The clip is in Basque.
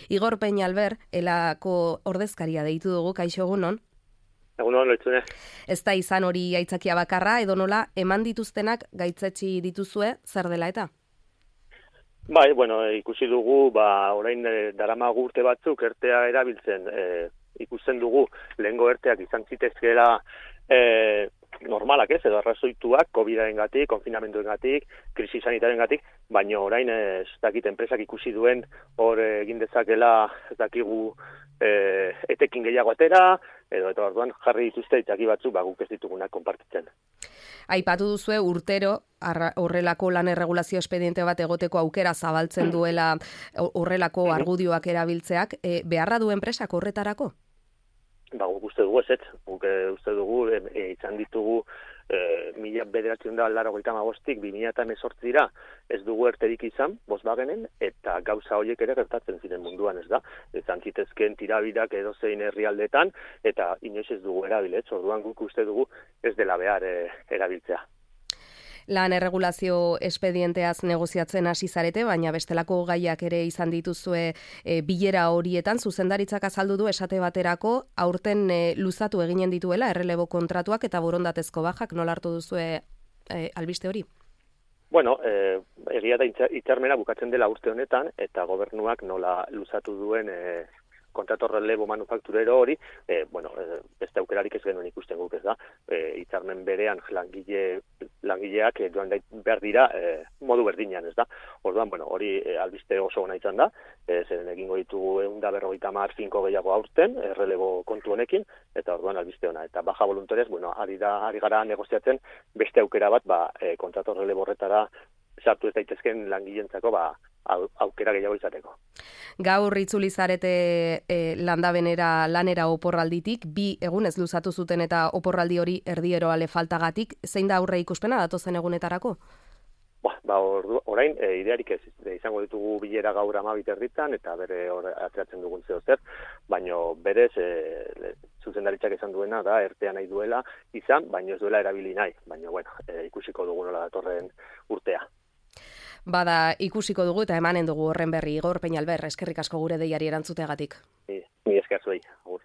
Igor Peñalver, elako ordezkaria deitu dugu, kaixo egunon. Egunon, loitzune. Ez da izan hori aitzakia bakarra, edo nola eman dituztenak gaitzetsi dituzue, zer dela eta? Bai, ikusi dugu, orain daramagu urte batzuk ertea erabiltzen, ikusten dugu lehengo erteak izan zitezkeela normalak ez, edo arrazoituak, COVID-arengatik, konfinamenduengatik, krisi sanitarengatik, baina orain ez dakit enpresak ikusi duen hor egin dezakela ez dakigu etekin gehiago atera, edo eta orduan jarri dituzte itzaki batzuk guk ez ditugunak konpartitzen. Aipatu duzue urtero horrelako lan erregulazio espediente bat egoteko aukera zabaltzen duela horrelako argudioak erabiltzeak, beharra du enpresak horretarako? Guk uste dugu ez, guk uste dugu izan ditugu 1985-tik 2018 ez dugu erterik izan Volkswagenen, eta gauza horiek ere gertatzen ziren munduan, ez da? Izan zitezken tirabirak edozein herrialdetan, eta inoiz ez dugu erabiletz, orduan guk uste dugu ez dela behar erabiltzea. Lan erregulazio espedienteaz negoziatzen hasi zarete, baina bestelako gaiak ere izan dituzue bilera horietan, zuzendaritzak azaldu du esate baterako aurten luzatu eginen dituela errelebo kontratuak eta borondatezko bajak, nola hartu duzue albiste hori? Egia da hitzarmena bukatzen dela urte honetan, eta gobernuak nola luzatu duen kontratu relebo manufakturero hori, beste aukerarik ez genuen ikusten guk, ez da. Hitzarmen berean langileak joan behar dira modu berdinean, ez da. Orduan, hori albiste oso ona izan da, zeren egingo ditugu 150 finko gehiago aurten, relebo kontu honekin, eta orduan albiste ona. Eta baja voluntariaz, ari gara negoziatzen beste aukera bat, kontratu relebo horretara sartu ez daitezken langileentzako aukera gehiago izateko. Gaur itzuli zarete lanera oporralditik, 2 egunez luzatu zuten eta oporraldi hori erdieroale faltagatik, zein da aurre ikuspena datozen egunetarako? Orain, idearik ez, izango ditugu bilera gaur 12:00 eta bere ateratzen dugun zeo zer, baina berez zuzendaritzak esan duena da, ertea nahi duela izan, baina ez duela erabili nahi, baina ikusiko dugu nola datorren urtea. Bada ikusiko dugu eta emanen dugu horren berri. Igor Peñalver, eskerrik asko gure deiari erantzuteagatik. Ni esker zuei, agur.